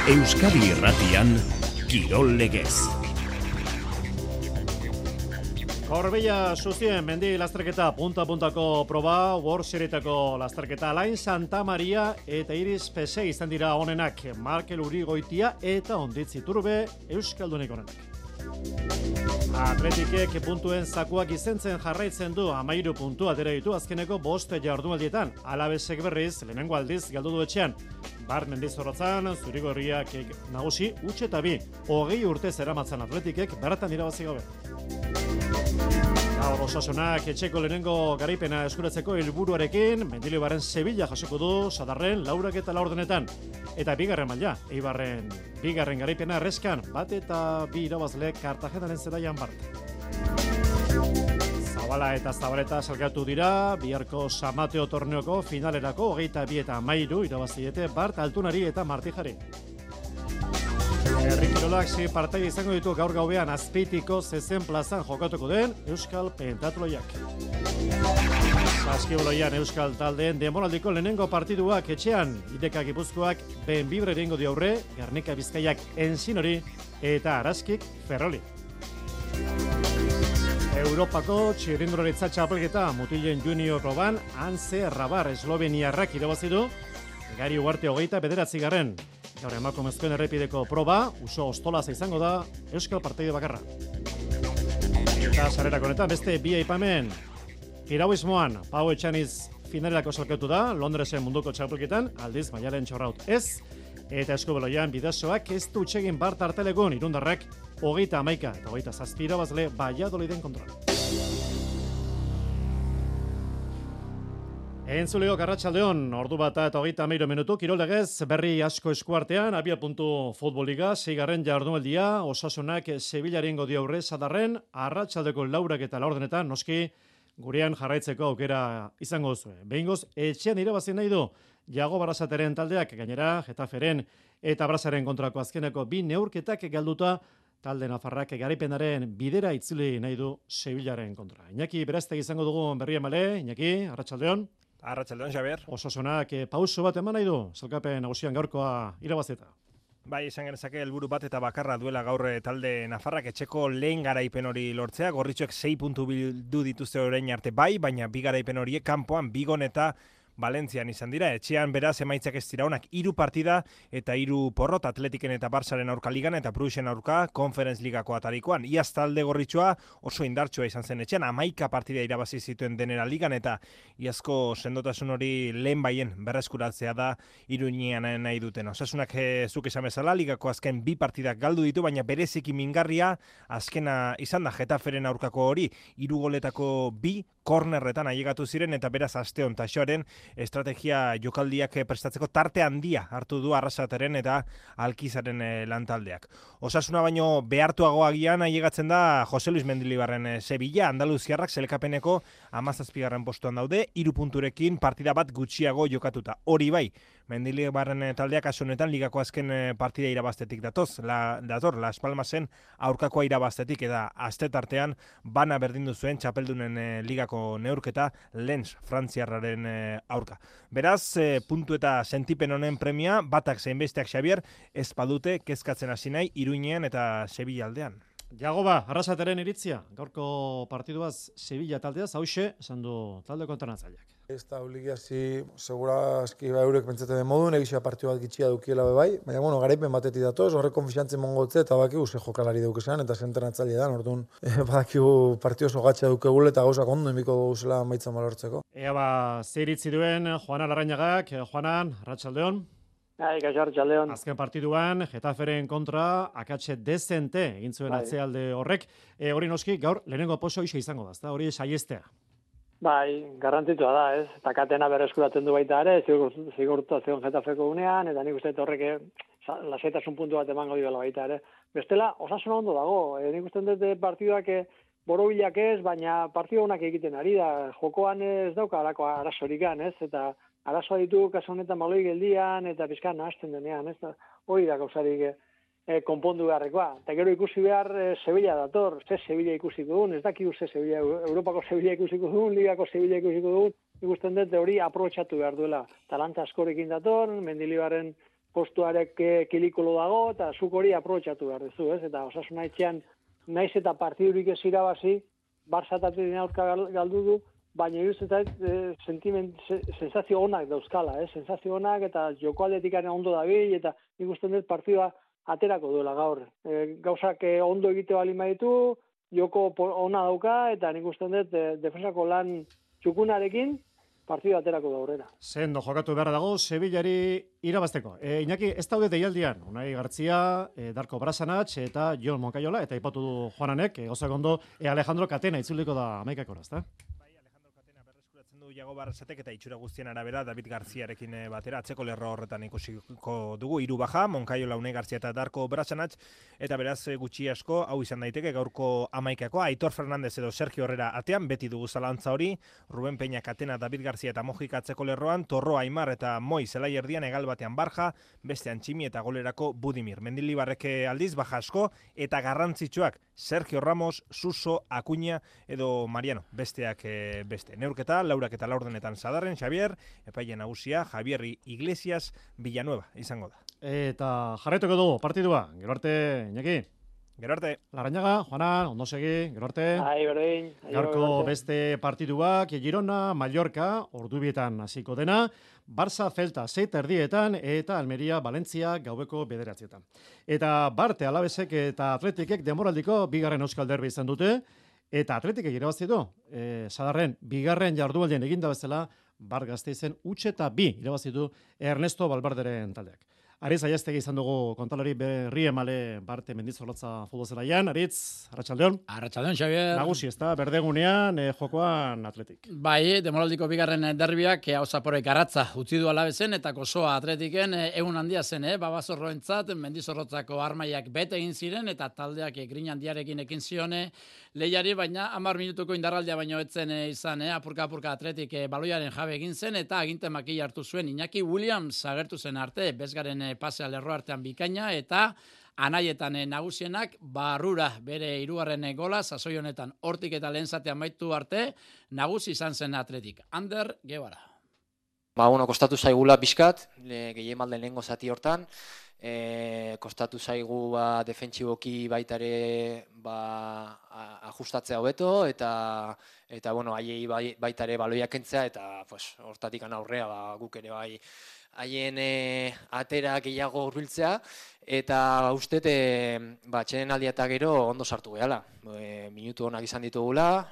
Euskadi Irratian, Kirol Legez. Gorbella Zuzien mendi lasterketa punta-puntako proba, World Serietako lasterketa Alain Santa Maria eta Iris Pese izan dira honenak, Markel Urigoitia eta Onditz Iturbe Euskaldunek honenak. Atletikek puntuen zakuak izentzen jarraitzen du 13 puntu atera ditu azkeneko 5 jardunaldietan. Alabesek berriz lehenengo aldiz galdu du etxean. Bar Mendizorrotzan zurigorriak nagusi utxe eta 20 urte zeramatzan Atletikek beratan irabazi gabe. Gaur Osasunak etxeko lehenengo garaipena eskuratzeko helburuarekin Mendilibarren Sevilla jasoko du Sadarren 4-4 eta bigarren maila Eibarren bigarren garaipena erreskan 1-2 irabazle Kartagenaren zelaian bart. Zabala eta Zabaleta salgatu dira biharko San Mateo torneoko finalerako 22 eta 13 irabaziete bart Altunari eta Martijari. Herri Kirolak partaide izango ditu gaur gauean Azpeitiko zezen plazan jokatuko den Euskal Pentatloiak. Saskiboloian Euskal taldeen denboraldiko lehenengo partiduak etxean, Ideka Gipuzkoak Benbibre egingo dio aurre, Gernika Bizkaiak Ensinori eta Araskik Ferroli. Europako txirrindularitza txapelketa mutilen junior proban Anze Rabar Esloveniarrak irabazi du, Gari Ugarte 29. Gaur emakumezkoen errepideko proba, Uso Ostolaza izango da Euskal partaide bakarra. Eta sarerako honetan beste bi aipamen. Piragüismoan, Pau Etxaniz finalerako salkatu da, Londresen munduko txapelketan, aldiz Maialen Txorraut ez, eta eskubeloian bidazoak ez du txegin bart artelegun irundarrak 31 eta 27 irabazle Valladoliden kontra. Entzuleok arratsaldeon, ordu bata eta 33 minutu, Kirol Legez berri asko eskuartean, Abiapuntu Futbol-Liga, 6. jardunaldia, Osasunak Sevillaren dio aurre Sadarren, arratsaldeko 4:00 noski gurean jarraitzeko aukera izango duzu. Behingoz, etxean irabazi nahi du Jago Barrasateren taldeak, gainera Getaferen eta Brasaren kontrako azkeneko 2 neurketak galduta, talde nafarrak garaipenaren bidera itzuli nahi du Sevillaren kontra. Iñaki Beraztegi izango dugu berri emale, Iñaki, arratsaldeon. Arratsaldeon, Xabier. Osasunak pauso bat eman nahi du, salkapen nagusian gaurkoa irabazita. Bai, izan genezake helburu bat eta bakarra duela gaur talde nafarrak etxeko lehen garaipen hori lortzea. Gorritxoek 6 puntu bildu dituzte orain arte bai, baina bi garaipen horiek kanpoan Bigon eta Valentzian izan dira. Etxean beraz emaitzak ez dira onak, 3 partida eta 3 porrot Atletiken eta Barsaren aurka ligan eta Bruxen aurka Conference Ligako atarikoan. Iaz talde gorritxoa oso indartsua izan zen etxean, 11 partida irabazi zituen denera ligan eta iazko sendotasun hori lehen baien berreskuratzea da Iruñean nahi duten. Osasunak zuk esan bezala ligako azken 2 partidak galdu ditu, baina bereziki mingarria azkena izan da Getaferen aurkako hori, 3 goletako 2 kornerretan ailegatu ziren eta beraz asteon taxoaren estrategia jokaldiak prestatzeko tarte handia hartu du Arrasateren eta Alkizaren lantaldeak. Osasuna baino behartuago agian ailegatzen da Jose Luis Mendilibarren Sevilla, Andaluziarrak selekapeneko 17. postuan daude, 3 punturekin partida bat gutxiago jokatuta. Hori bai, Mendilibarren taldeak kasu honetan ligako azken partida irabaztetik dator Las Palmasen aurkakoa irabaztetik eta astetartean bana berdindu zuen txapeldunen ligako neurketa Lens Frantziarraren aurka. Beraz, puntu eta sentipen honen premia batak zein besteak Xabier ez badute kezkatzen hasi nahi Iruñean eta Sevilla aldean. Jagoba, Arrasateren iritzia, gaurko partiduaz Sevilla taldeaz, hauxe, esan du talde kontranatzaileak. Ez da obligazi, segura aski eurek pentsatzen den modun, egizia partio bat gitxia dukiela bai, baina bueno, garaipen batetik datoz, horrek konfiantzen mongotze eta bakigu ze jokalari daukesan, eta zentrenatzaile da, orduan badakigu partio oso gatxa dukegule eta gauzak ondo emiko gauzela maitzan balortzeko. Ea ba, zer iritzi duen Juanan Larrañagak, Juanan, arratsaldeon. Arratsaldeon. Azken partiduan, Getaferen kontra, akatxe dezente egin zuen atzealde horrek. Hori noski, gaur, lehenengo poso isa izango da, hori saiestea. Bai, garrantzitsua da, ez? Eta katena berreskuratzen du baita ere, zigurtazion Getafeko unean, eta nik uste horrek lasaitasun puntu bat emango diola baita ere. Bestela, Osasuna ondo dago, nik uste dut partiduak borobilak ez, baina partidu honak egiten ari da, jokoan ez dauka alako arazorikan, ez? Eta arazoa ditu kasu honetan baloi geldian eta pizkan nahasten denean, ez? Hori da gauzarik konpondu beharrekoa. Eta gero ikusi behar Sevilla dator, ze Sevilla ikusiko dugun, ez dakigu ze Sevilla, Europako Sevilla ikusiko dugun, Ligako Sevilla ikusiko dugun, ikusten dut hori aprobetxatu behar duela. Talanta askorekin dator, Mendilibarren postuarek kilikolo dago, eta zuk hori aprobetxatu behar duzu, ez? Eta Osasuna etxean, naiz eta partidurik ez irabazi, Barça eta Atletin aurka galdu du, baina iruztetan sensazio onak dauzkala, sensazio onak eta joko aldetikaren ondo dabil, eta nik uste dut partidua aterako duela gaur. Gauzak ondo egite bali maitu, joko ona dauka, eta nik uste dut defensako lan txukunarekin, partidu aterako da aurrera. Sendo jokatu behar dago, Sevillari irabazteko. Iñaki, ez daude deialdian, Unai Gartzia, Darko Brasanach eta Jon Moncayola, eta ipatu du Juananek, gauzak ondo, Alejandro Catena itzuliko da 11 ezta? Iago Barrasatek eta itxura guztien arabera David Garziarekin batera atzeko lerro horretan ikusiko dugu 3 baja, Moncayola, Unai Garzia eta Darko Brasanach, eta beraz gutxi asko hau izan daiteke gaurko 11koa. Aitor Fernandez edo Sergio Herrera atean, beti dugu zalantza hori, Ruben Peña, Catena, David Garcia eta Mojik atzeko lerroan, Torro, Aimar eta Moi zelai erdian, egal batean Barja, bestean Tximi eta golerako Budimir. Mendilibarrek aldiz baja asko eta garrantzitsuak Sergio Ramos, Suso, Acuña edo Mariano, besteak beste. Neurketa, laurak eta laurdenetan Sadarren, Xavier, epaile nagusia, Javier Iglesias, Villanueva izango da. Eta jarretuko dugu partidua, gero arte, Iñaki. Gero arte. Larrañaga, Juanan, ondo segi, gero arte. Berdin. Gaurko beste partiduak, Girona, Mallorca, ordubietan hasiko dena, Barça, Celta, 7:30 eta Almeria, Valencia, gaueko 9:00. Eta Barte, Alabesek eta Atletikek denboraldiko bigarren euskal derbi izan dute, eta Atletikek irabazi du. Sadarren, bigarren jardualdien eginda bezala, Bar Gasteizen utxe eta 2 irabazi du Ernesto Balbarderen taldeak. Aritz Aiaztegi izan dugu kontalari berri emale Barte Mendizorrotza futbol zelaian. Aritz, arratsaldeon. Arratsaldeon, Xavier. Nagusi, ezta berdegunean jokoan Atletik. Bai, demoraldiko bigarren derbiak Auzaporek Garatza utzi du Alabezen eta Kosoa Atletiken egun handia zen, Babazorroentzat Mendizorrotzako armaiak bete egin ziren eta taldeak grin handiarekin ekin zione lehiari, baina 10 minutuko indarraldia baino etzen izan, apurka Atletik baloiaren jabe egin zen eta aginte makila hartu zuen Iñaki Williams agertu zen arte, bezgaren pasea lerro artean bikaina eta anaietan nagusienak barrura bere 3. gola, sasoi honetan hortik eta lehen zatean maitu arte, nagusi izan zen Atletik. Ander Guevara. Kostatu zaigula pixkat, gehien malden lehengo zati hortan, kostatu zaigu defentsiboki baitare ajustatzea hobeto eta haiei baitare baloiak kentzea eta hortatik aurrea guk ere bai haien atera gehiago hurbiltzea eta uste txenen aldia eta gero ondo sartu gehala. Minutu onak izan ditugula.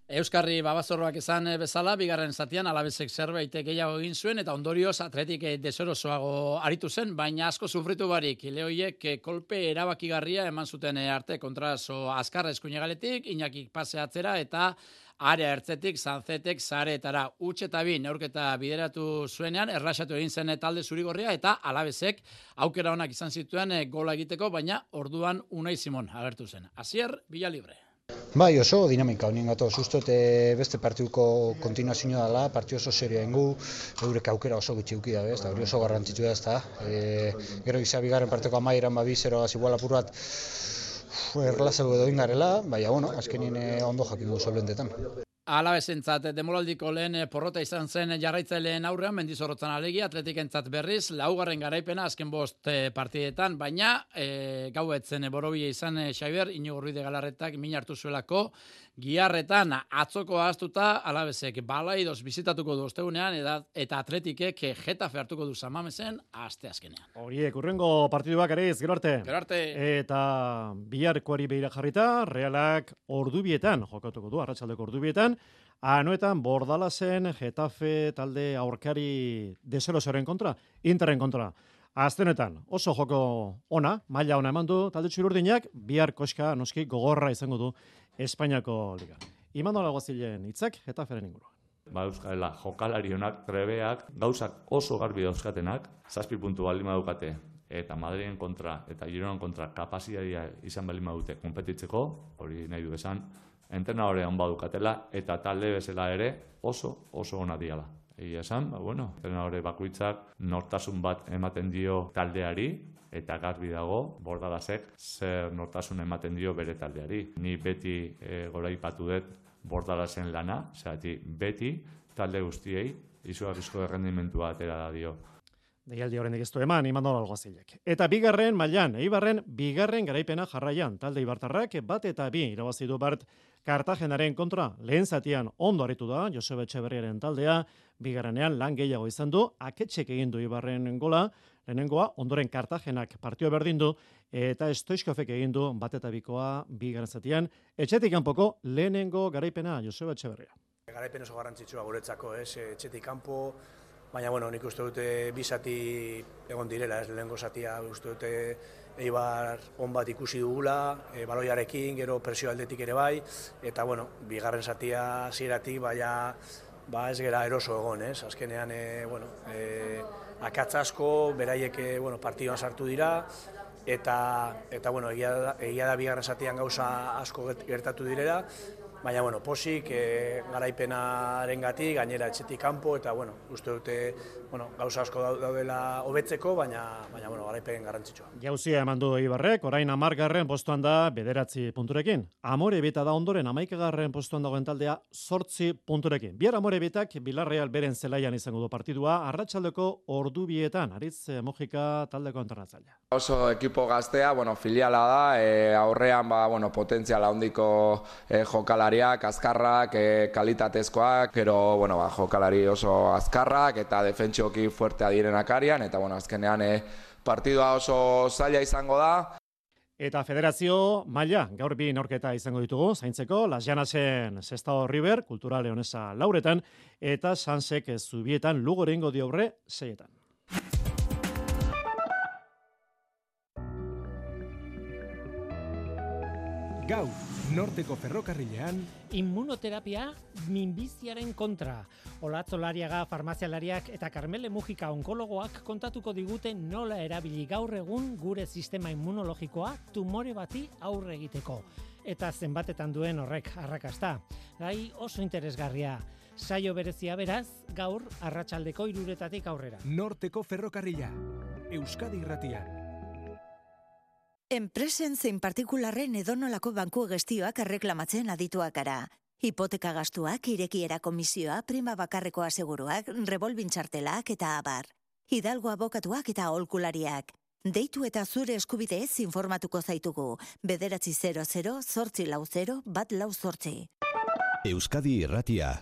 Euskarri Babazorroak izan bezala, bigarren zatian Alabesek zerbait gehiago egin zuen eta ondorioz Atletik deserosoago aritu zen, baina asko sufritu barik. Lehoiek kolpe erabakigarria eman zuten arte kontraso azkarra eskuinegaletik, Iñakik pase atzera eta area ertzetik, Sanzetek, zareetara utxe eta 2 neurketa bideratu zuenean, erlaxatu egin zen talde zurigorria eta Alabesek aukera onak izan zituen gola egiteko, baina orduan Unai Simon agertu zen. Asier, Villalibre. Bai, oso dinamika honien gatoz, uste beste partiduko kontinuazioa dela, partidu oso serioa ingu, eurek aukera oso gutxi uki dabe, eta hori oso garrantzitsu da, ezta. Gero izan bigarren parteko amaieran 2-0 igual apur bat erlazeu edo ingarela, baina, azkenin ondo jakingo solventetan. Alabesentzat demoraldiko lehen porrota izan zen jarraitzaileen aurrean, Mendizorrotzan alegia, Atletikentzat berriz, 4. garaipena azken 5 partidetan, baina gauetzen borobia izan Xavier, Inigo Ruiz de Galarretak min hartu zuelako, Giarretan atzoko ahaztuta Alabesek balaidoz bizitatuko du ostegunean eta Atletikek Getafe hartuko du Samamesen asteazkenean. Horiek, urrengo partiduak Aritz, gero arte. Gero arte. Eta biharkoari begira jarrita, Realak ordubietan jokatuko du, arratsaldeko ordubietan, Anoetan Bordalasen Getafe talde aurkari deserosoren kontra, Interren kontra. Aztenetan oso joko ona, maila ona eman du talde txururdinak, bihar koska noski gogorra izango du Espainiako Liga. Imanol Alguazilen hitzak Getaferen inguruan. Euskala jokalari onak, trebeak, gauzak oso garbi dauzkatenak, 7 puntu baldin badukate eta Madriden kontra eta Gironan kontra kapazitatea izan baldin badute konpetitzeko, hori nahi du esan, entrenadorea on badukatela eta talde bezala ere oso ona diala. Egia esan, entrenadore bakoitzak nortasun bat ematen dio taldeari, eta garbi dago, Bordalasek zer nortasun ematen dio bere taldeari. Ni beti goraipatu dut Bordalasen lana, beti talde guztiei izugarrizko errendimentua atera da dio. Deialdi horrendik ez du eman, Imanol Alguazilek. Eta bigarren mailan, Eibarren bigarren garaipena jarraian, talde Ibartarrak 1-2 irabazi du Bart Kartagenaren kontra. Lehen zatian ondo aritu da, Joseba Etxeberriaren taldea, bigarrenean lan gehiago izan du, aketsek egin du Ibarren gola, lehenengoa, ondoren Kartagenak partio berdin du, eta Stoichkovek egin du 1-2 bigarren zatian, etxetik kanpoko lehenengo garaipena, Joseba Etxeberria. Garaipen oso garrantzitsua guretzako, etxetik kanpo, baina, nik uste dute bi zati egon direla, lehenengo zatia uste dute Eibar on bat ikusi dugula, baloiarekin, gero presio aldetik ere bai, eta, bigarren zatia hasieratik ez gera eroso egon, azkenean, akatz asko, beraiek, partidoan sartu dira, eta egia da bigarren zatian gauza asko gertatu direla, baina, posik, garaipenarengatik, gainera etxetik kanpo, eta, uste dute, gauza asko daudela hobetzeko, baina, garaipen garrantzitsua. Jauzia eman du Eibarrek, orain 10. postuan da 9 punturekin. Amorebieta da ondoren 11. postuan dagoen taldea 8 punturekin. Bihar Amorebietak Villarreal beren zelaian izango du partidua, arratsaldeko ordu 2etan, Aritz Mojika taldeko entrenatzailea. Oso ekipo gaztea, filiala da, aurrean potentziala handiko jokalariak, azkarrak, kalitatezkoak, gero jokalari oso azkarrak eta defentsioki fuertea direnak arian, eta azkenean partidua oso zaila izango da. Eta federazio maila, gaur bi norketa izango ditugu, zaintzeko, Las Llanasen Sestao River, Kultura Leonesa lauretan, eta Sansek Zubietan Lugo egingo dio aurre 6etan. Gaur, Norteko ferrokarrilean, immunoterapia minbiziaren kontra. Olatzolariaga farmazialariak eta Carmele Mujika onkologoak kontatuko digute nola erabili gaur egun gure sistema immunologikoa tumore bati aurre egiteko. Eta zenbatetan duen horrek arrakasta. Gai oso interesgarria. Saio berezia beraz, gaur arratsaldeko 3 aurrera. Norteko ferrokarrila, Euskadi Irratian. Enpresen zein partikularren edonolako banku gestioak erreklamatzen adituak gara. Hipoteka gastuak, irekiera komisioa, prima bakarreko aseguruak, revolvin txartelak eta abar. Hidalgo abokatuak eta aholkulariak. Deitu eta zure eskubideez informatuko zaitugu. 900 840 148. Euskadi Irratia.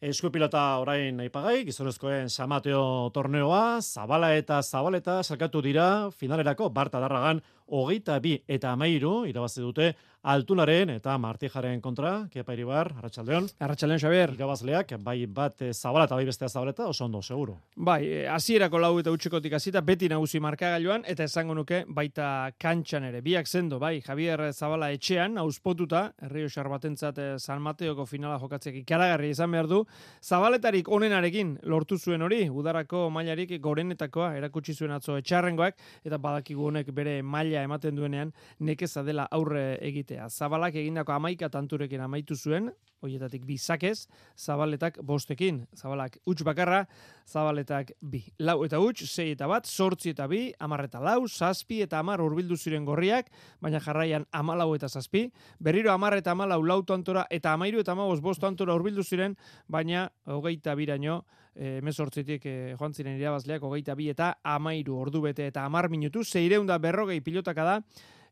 Eskupilota orain aipagai, gizonezkoen Samateo torneoa, Zabala eta Zabaleta salkatu dira finalerako Barta Darragan 22 eta 13 irabazi dute Altunaren eta Martijaren kontra. Kepa Iribar, arratsaldeon. Arratsaldeon, Xabier. Irabazleak, bai bat Zabala eta bai bestea Zabaleta, oso ondo, seguro. Bai, hasierako 4-0 hasita beti nagusi markagailuan, eta esango nuke baita kantxan ere. Biak sendo, bai, Javier Zabala etxean, auspotuta, Errioxar batentzat San Mateoko finala jokatzeak ikaragarri izan behar du. Zabaletarik onenarekin lortu zuen hori, udarako mailarik gorenetakoa erakutsi zuen atzo etxarrengoak, eta badakigu honek bere maila ematen duenean nekeza dela aurre egitea. Zabalak egindako 11 tanturekin amaitu zuen, horietatik 2 sakez, Zabaletak 5ekin. Zabalak huts bakarra, Zabaletak 2. 4 eta huts, 6 eta 1, 8 eta 2, 10 eta 4, 7 eta 10 hurbildu ziren gorriak, baina jarraian 14 eta 7, berriro 10 eta 14 lau tantora eta 13 eta 15 tantora hurbildu ziren, baina 22raino 18tik joan ziren irabazleak 22 eta 13 ordu bete eta 10 minutu, 640 pilotaka da.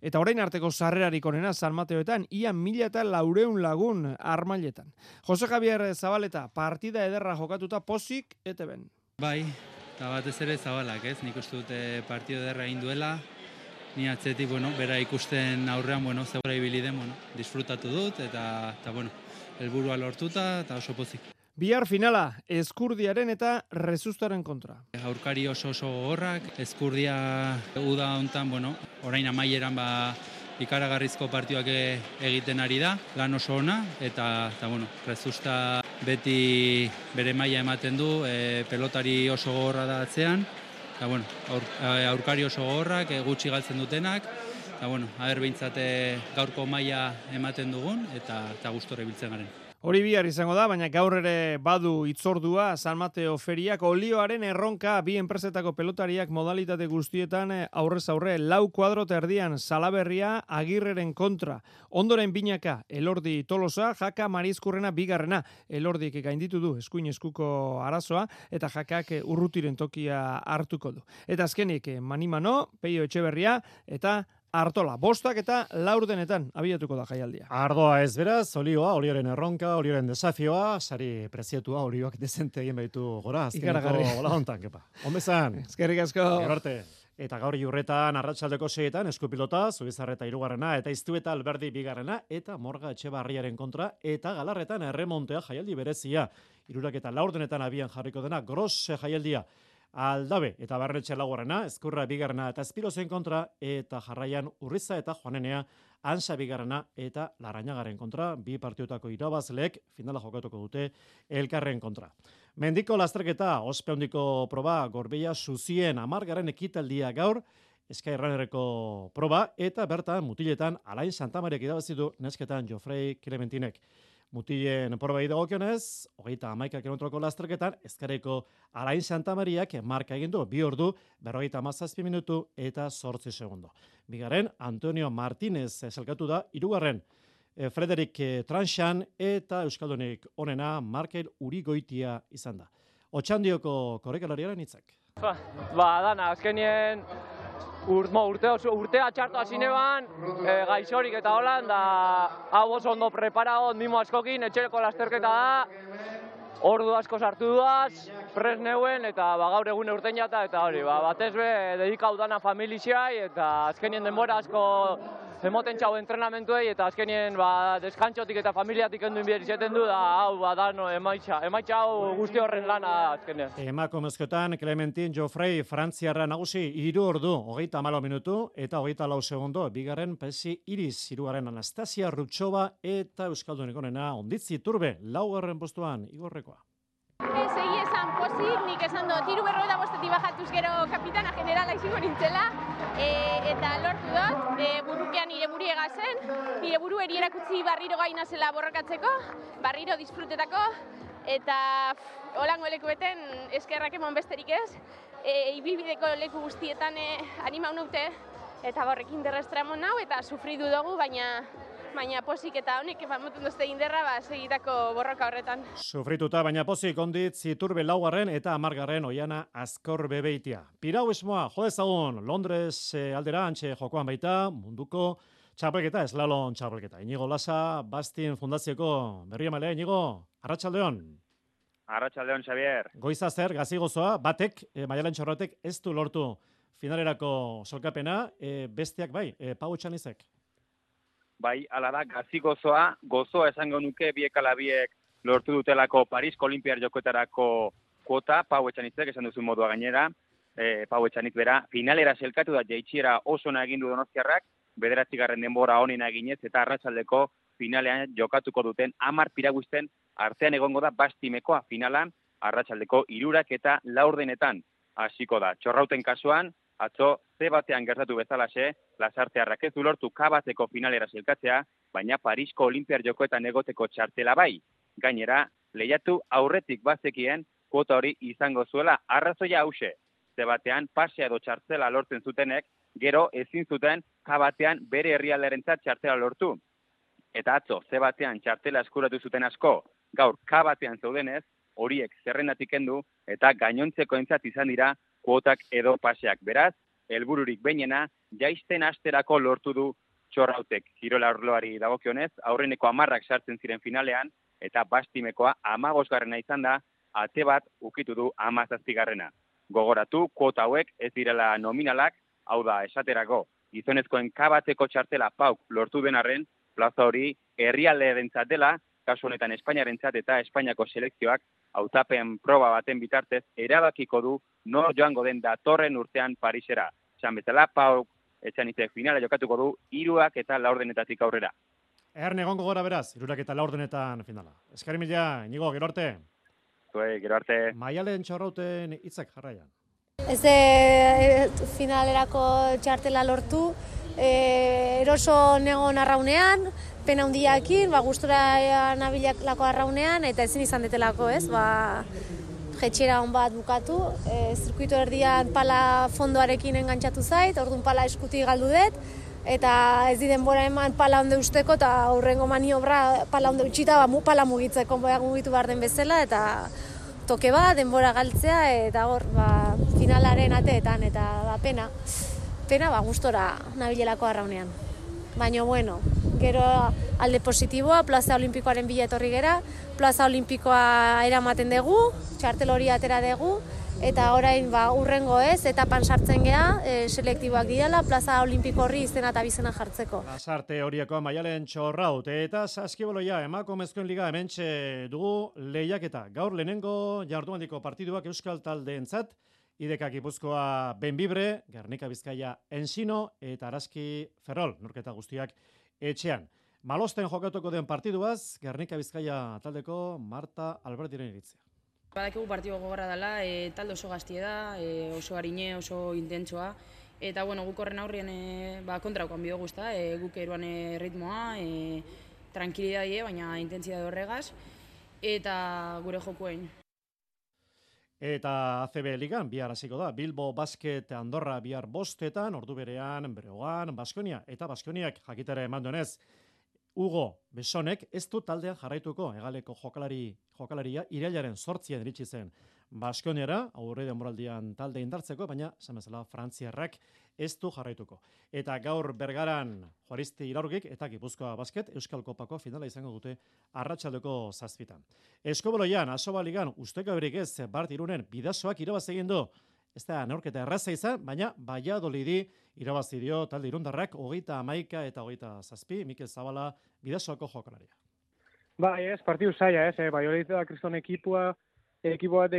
Eta orain arteko sarrerarik onena San Mateoetan, ia 1400 lagun armailetan. Jose Javier Zabaleta, partida ederra jokatuta pozik, ete ben. Bai, eta batez ere Zabalak, ez? Nik uste dute partida ederra egin duela, ni atzetik, bera ikusten aurrean, zegoera ibili den, disfrutatu dut, eta helburua lortuta, eta oso pozik. Bihar finala, Eskurdiaren eta Rezustaren kontra. Aurkari oso gogorrak, Eskurdia uda hontan, orain amaieran ikaragarrizko partioak egiten ari da, lan oso ona, eta Rezusta beti bere maila ematen du, pelotari oso gogorra da atzean, eta aurkari oso gogorrak, gutxi galtzen dutenak, bueno, aber behintzat gaurko maila ematen dugun, eta gustora ibiltzen garen. Hori bihar izango da, baina gaur ere badu itzordua San Mateo feriak, olioaren erronka bi enpresetako pelotariak modalitate guztietan aurrez aurre 4 kuadro erdian Salaberria Agirreren kontra. Ondoren binaka Elordi Tolosa, Jaka Marizkurrena bigarrena. Elordik gainditu du eskuin eskuko arazoa eta Jakak urrutiren tokia hartuko du. Eta azkenik Manimano, Peio Etxeberria eta Artola, 5 eta 4 abiatuko da jaialdia. Ardoa ez beraz, olioaren erronka, olioaren desafioa, sari prezietua, olioak dezente egin baitu gora, azkeneko gola hontan, kepa. Ondezan. Eskerrik asko. Gerarte. Eta gaur Iurretan arratsaldeko 6etan Eskupilota, Zubizarreta 3. eta Iztueta Alberdi 2. eta Morga Etxebarriaren kontra, eta Galarretan erremontea jaialdi berezia. 3 eta 4 abian jarriko dena, gros jaialdia. Aldabe eta Barretxe 4, Ezkurra 2. eta Espirozen kontra, eta jarraian Urriza eta Joanenea Ansa 2. eta Larañagaren kontra, bi partiotako irabazleek finala jokatuko dute elkarren kontra. Mendiko lasterketa, ospe handiko proba, Gorbeia Suzien 10. ekitaldia gaur, Skyrunerreko proba, eta bertan mutiletan Alain Santamariak irabazidu nesketan Jofrei Clementinek. Mutilen probai dagokionez, 31 kilometroko lasterketan, Ezkerreko Alain Santamariak marka egin du, 2 ordu, 57 minutu eta 8 segundo. Bigarren, Antonio Martínez esalkatu da, 3. Frederik Tranxan eta Euskaldunik onena Markel Urigoitia izan da. Otxandioko korrikalariaren hitzak. Dana, azkenien urtea txartu hasineban, gaixorik eta holan, da hau oso ondo preparado, mimo askokin, etxereko lasterketa da, ordu asko sartu duaz, pres neuen, eta gaur egun eurten jata, eta hori, batez be, dedikau dana familiziai, eta azkenien denbora asko emoten txau entrenamentuei, eta azkenien deskantxotik eta familiatik enduen bihar izeten du, da hau, dano, emaitxa hau guzti horren lana azkenien. Emakumezkoetan, Clementin Jofrei Frantziarra nagusi 3 ordu, 34 minutu, eta 24 segundo, bigarren Pesi Iris, 3. Anastasia Rutxova, eta Euskaldunik onena Onditzi Turbe, 4. postuan, Igorrekoa. Segi esan pozik, nik esan dut, 3:45 bajatuz gero kapitana generala izango nintzela, eta lortu dut, burupean nire buri egazen, nire buru erakutsi barriro gaina zela borrokatzeko, barriro disfrutetako, eta holango lekueten eskerrak emon besterik ez, ibilbideko leku guztietan animau naute, eta horrekin derrestra emon nau, eta sufridu dugu, baina posik eta honek moten duzte inderra segitako borroka horretan. Sufrituta, baina posik Onditz Iturbe 4. eta 10. Oiana Azkor Bebeitia. Pirau esmoa, jodezagun, Londres aldera antxe jokoan baita, munduko txapelketa, eslalon txapelketa. Inigo Lasa, Bastin Fundazioko berri emalea, Inigo, arratsaldeon. Arratsaldeon, Xavier. Goiza zer, gazi gozoa, batek, Maialen Txorratek ez du lortu finalerako solkapena, besteak bai, Pau Etxanizek. Bai, ala da, gazi gozoa esango nuke biek ala biek lortu dutelako Parisko Olimpiar Jokoetarako kuota, Pau Etxanitzek esan duzu modua gainera, Pau Etxanitz bera, finalera selkatu da jaitsiera oso na egin du Donostiarrak, 9. denbora onena eginez eta arratsaldeko finalean jokatuko duten 10 piraguisten artean egongo da Bastimekoa finalan, arratsaldeko 3 eta 4 hasiko da. Txorrauten kasuan, atzo ze batean gertatu bezalaxe, Lasartearrak ez du lortu K-bateko finalera selkatzea, baina Parisko Olimpiar Jokoetan egoteko txartela bai. Gainera, lehiatu aurretik bazekien kuota hori izango zuela arrazoia hause. Ze batean pasea edo txartela lortzen zutenek, gero ezin zuten K-batean bere herrialdearentzat txartela lortu. Eta atzo, ze batean txartela eskuratu zuten asko, gaur K-batean zeudenez, horiek zerrendatik kendu eta gainontzeko entzat izan dira kuotak edo paseak. Beraz, helbururik behinena, jaisten asterako lortu du Txorrautek. Kirola arloari dagokionez, aurreneko 10 sartzen ziren finalean, eta Bastimekoa 15. izan da, ate bat ukitu du 17. Gogoratu, kuota hauek ez direla nominalak, hau da esaterako, gizonezkoen K-bateko txartela Pauk lortu den arren, plaza hori herrialdearentzat dela, kasu honetan Espainiarentzat eta Espainiako selekzioak hautapen proba baten bitartez erabakiko du nor joango den datorren urtean Parisera. Esan bezala, Pauk Etxanitzek finala jokatuko du 3 eta 4 aurrera. Erne egongo gora beraz, 3 eta 4 finala. Eskari mila, Inigo, gero arte. Gero arte. Maialen Txorrauten hitzak jarraian. Ez finalerako txartela lortu, eroso negon arraunean, pena hundiakin, gustora nabilako arraunean, eta ezin izan detelako, ez, jetxera hon bat bukatu, zirkuito erdian pala fondoarekin engantzatu zait, orduan pala eskuti galdu dut, eta ez di denbora eman pala onde usteko, eta aurrengo maniobra pala onde utxita, pala mugitzeko, mugitu behar den bezala, eta toke denbora galtzea, eta hor, finalaren ateetan, eta pena, gustora nabilelako arraunean. Baina, bueno, gero alde positiboa, plaza olimpikoaren bila etorri gera, plaza olimpikoa eramaten dugu, txartel hori atera dugu, eta orain urrengo ez, etapan sartzen gea, selektiboak direla, plaza olimpiko horri izena eta bizena jartzeko. Lasarte horieko Maialen Txorraut, eta saskiboloia emakumezkoen liga hementxe dugu lehiaketa. Gaur lehenengo jardunaldiko partiduak euskal taldeentzat, IDK Gipuzkoa Benbibre, Gernika Bizkaia Ensino eta Araski Ferrol, norketa guztiak etxean. Malosten jokatuko den partiduaz, Gernika Bizkaia taldeko Marta Albertiren iritzia. Badakigu partidu gogorra dela, talde oso gaztie da, oso harine, oso intentsoa, eta guk horren aurrien kontrakoan bideo guzta, guk eruan ritmoa, tranquilidadie, baina intensidade horregaz, eta gure jokuein. Eta ACB Ligan bihar hasiko da, Bilbo Basket Andorra bihar 5:00, ordu berean Breogan, Baskonia, eta Baskoniak jakitera eman duenez, Hugo Besonek ez du taldean jarraituko, Hegaleko jokalaria irailaren 8 iritsi zen Baskoniara, aurre denboraldian talde indartzeko, baina zamezala Frantziarrak ez du jarraituko. Eta gaur Bergaran Juaristi Iraurgik eta Gipuzkoa Basket Euskal Kopako finala izango dute arratsaldeko 7:00. Eskoboloian, Asoba Ligan, usteko berik ez, Bart Irunen Bidasoak irabaz egin du. Ez da neurketa erraza izan, baina Valladolidi irabazi dio talde irundarrak 31 eta 27, Mikel Zabala Bidasoako jokalaria. Bai, ez, partidu zaila, ez, Valladolid da kriston ekipo bat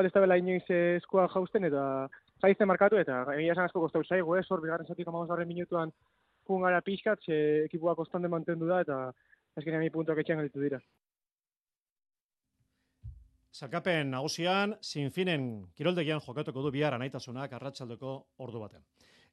ez da bela inoiz eskua jausten, eta zaizten markatu, eta egia esan asko kostau zaigu, ez, hor, bigarren zatik 15 minutuan pungara pixkat, ekipoa konstante mantendu da, eta azkenean mi puntuak etxean galitu dira. Sailkapen nagusian, Sinfinen kiroldegian jokatuko du bihar anaitasunak arratsaldeko ordu baten.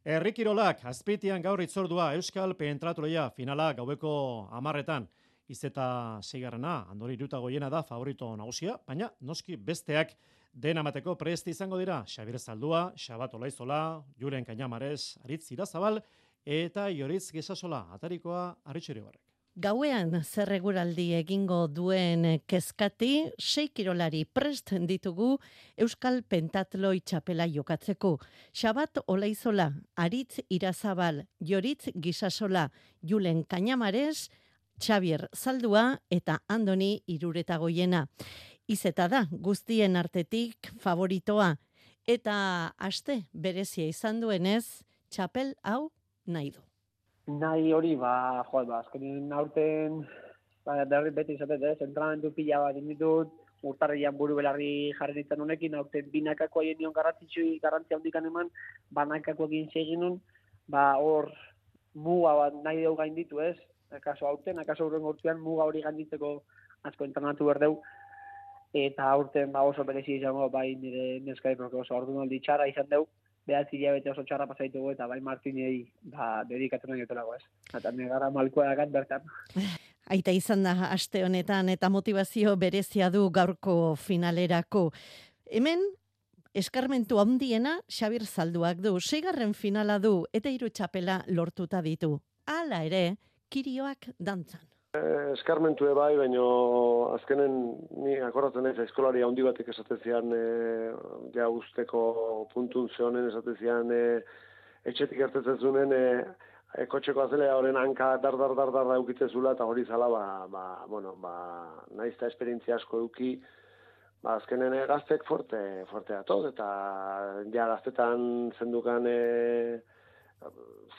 Herri kirolak, Azpeitian gaur itzordua Euskal Pentratuleia finala gaueko 10:00. Izeta 6. Andori Irutagoiena da favorito nagusia, baina noski besteak den amateko prest izango dira. Xabier Zaldua, Xabat Olaizola, Julen Kañamares, Aritz Irazabal eta Ioritz Gesasola, atarikoa Arritxeribarrek. Gauean zerreguraldi egingo duen kezkati 6 kirolari prest ditugu Euskal Pentatloi txapela jokatzeko. Xabat Olaizola, Aritz Irazabal, Ioritz Gisasola, Julen Kañamares, Xabier Zaldua eta Andoni Iruretagoiena. Izeta da guztien artetik favoritoa eta aste berezia izan duenez txapel hau nahi du. Nahi hori, azkenin aurten beti izaten, entrenamentu pila bat inditut, urtarrian buru belarri jarri nintzen honekin, aurten binakako haien nion garrantzia hundikan eman, banakako egin segin nun, hor muga bat nahi dugu gainditu ez, akaso aurten, akaso urren urtean muga hori gainditzeko asko entrenatu berdeu, eta aurten oso berezi izango, bai nire neskai, oso ordunaldi txarra izan dugu, behatzi hilabete oso txarra pasaitugu eta bai Martinei dedikatzen nahi dutelago ez. Eta negara malkoa dakat bertan. Aita izan da aste honetan eta motivazio berezia du gaurko finalerako. Hemen eskarmentu handiena Xabier Zalduak du, 6. finala du eta 3 txapela lortuta ditu. Hala ere, kirioak dantzan. Eskarmentu bai, baina azkenen ni akordatzen naiz eskolari handi batek esaten zian ja usteko puntun zehonen esaten zian etxetik ertetzen zunen kotxeko azelea horren hanka dar eukitzen zula eta hori zala naizta esperientzia asko eduki azkenen gaztek forte atoz eta ja gaztetan zendukan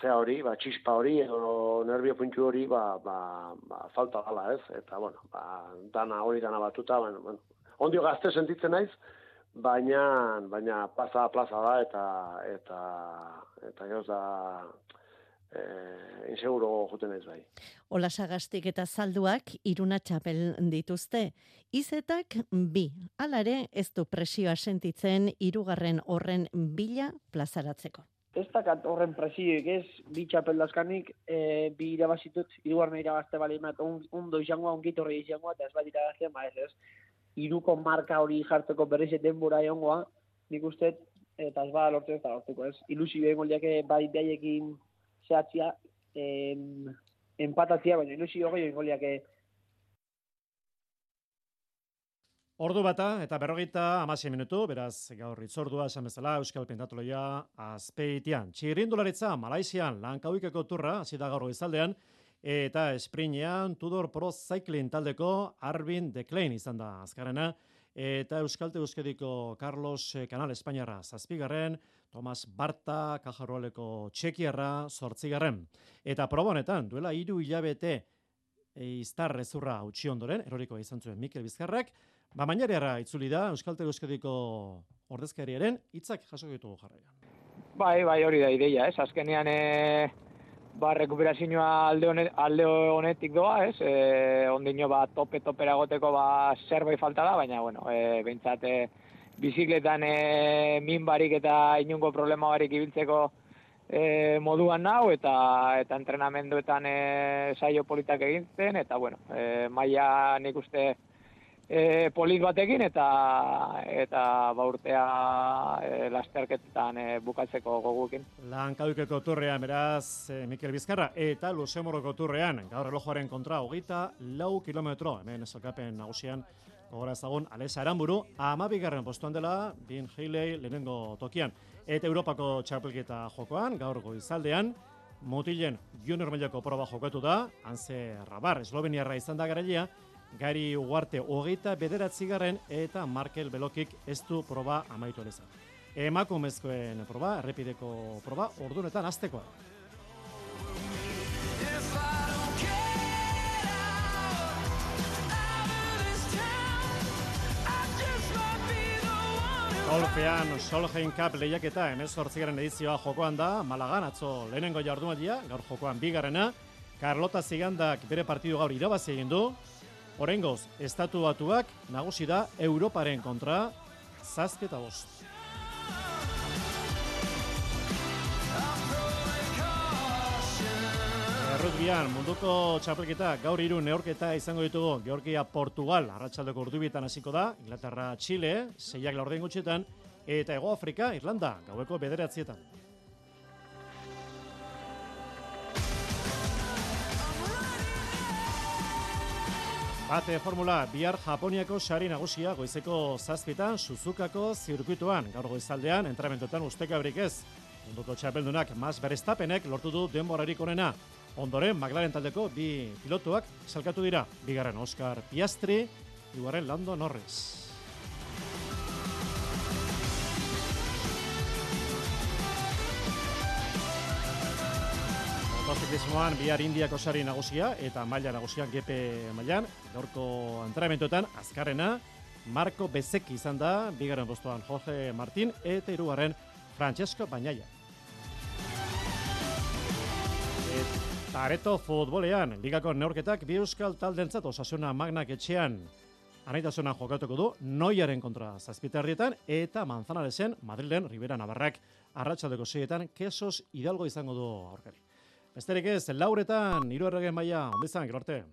zea hori, txispa hori, edo nervio puntu hori, falta gala ez, eta, dana batuta, ondio gazte sentitzen naiz, baina plaza da, eta gehoz da, inseguro juten ez bai. Olasagastik eta Zalduak Iruna txapel dituzte. Izetak 2. Alare ez du presioa sentitzen 3. horren bila plazaratzeko. Ez dakat horren presioik ez, 2 txapel dazkanik, 2 irabazitut, 3. irabazte bali emat, ondo izangoa, ongitorri izangoa, eta ez bat irabazte, ez. 3ko marka hori jartzeko berriz denbora egongoa, nik uste, eta ez bat lortzen ez da lortuko ez. Ilusio egon liake bai behaiekin zehatzia, empatatzia, baina ilusio gehiago egon liake. Ordu bata eta 56 minutu, beraz gaur itzordua esan bezala Euskal Pentatloia azpeitian. Txirrindularitza Malaisian Langkaukeko turra hasi da gaur goizaldean eta esprinean Tudor Pro Cycling taldeko Arvin de Klein izan da azkarrena eta Euskadiko Carlos Canal Espainiarra 7. Tomas Barta Kajarroaleko Txekiarra 8. Eta proba honetan duela 3 hilabete iztar ezurra utzi ondoren eroriko izan zuen Mikel Bizkarrak. Mañariara itzuli da Euskadiko ordezkariaren hitzak jaso ditugu jarraian. Bai, hori da ideia, ez? Azkenean rekuperazioa alde honetik doa, ez? Ondino topera goteko zerbait falta da, baina behintzat bizikletan min barik eta inungo problema barik ibiltzeko moduan nau eta entrenamenduetan saio politak egintzen eta maila nik uste polit batekin eta urtea lasterketetan bukatzeko goguekin. Langkaukeko turrean beraz Mikel Bizkarra eta Luxemburgoko turrean gaur erlojuaren kontra 24 kilometro hemen sailkapen nagusian gogora ezagun Alesa Aranburu 12. postuan dela Bin Heiley lehenengo tokian eta Europako txapelketa jokoan gaur goizaldean mutilen junior mailako proba jokatu da Hanse Rabar esloveniarra izan da garailea Gari Ugarte 29. eta Markel Belokik ez du proba amaitu alezan. Emakumezkoen proba, errepideko proba, ordunetan aztekoa. Golfean Solheim Cup lehiaketa 18. edizioa jokoan da, Malagan atzo lehenengo jardunaldia, gaur jokoan 2. Carlota Zigandak bere partidu gaur irabazi egin du. Oraingoz, Estatu Batuak nagusi da Europaren kontra 7-5. Errugbian munduko txapelketa gaur 3 neurketa izango ditugu. Georgia Portugal arratsaldeko ordubietan hasiko da, Inglaterra Chile 6 laurden gutxietan eta Hego Afrika Irlanda gaueko 9:00. Bate formula bihar Japoniako sari nagusia goizeko 7:00 Suzukako zirkuituan. Gaur goizaldean entrenamenduetan ustekabrik ez. Munduko txapeldunak Max Verstappenek lortu du denborarik onena. Ondoren McLaren taldeko 2 pilotuak salkatu dira. 2. Oscar Piastri, 3. Lando Norris. Motoziklismoan bihar Indiako sari nagusia eta maila nagusian GP mailan. Gaurko entrenamenduetan azkarrena Marco Bezzecchi izan da, 2. postuan Jorge Martin eta 3. Francesco Bagnaia. Areto futbolean, ligako neurketak bi euskal taldentzat Osasuna Magnak etxean anaitasuna jokatuko du Noiaren kontra 7:00 eta Manzanaresen Madrilen Ribera Navarrak arratsaldeko 6:00 Kesos Hidalgo izango du aurkari. Besterik ez, lauretan 3. maila, ondo izan, gero arte.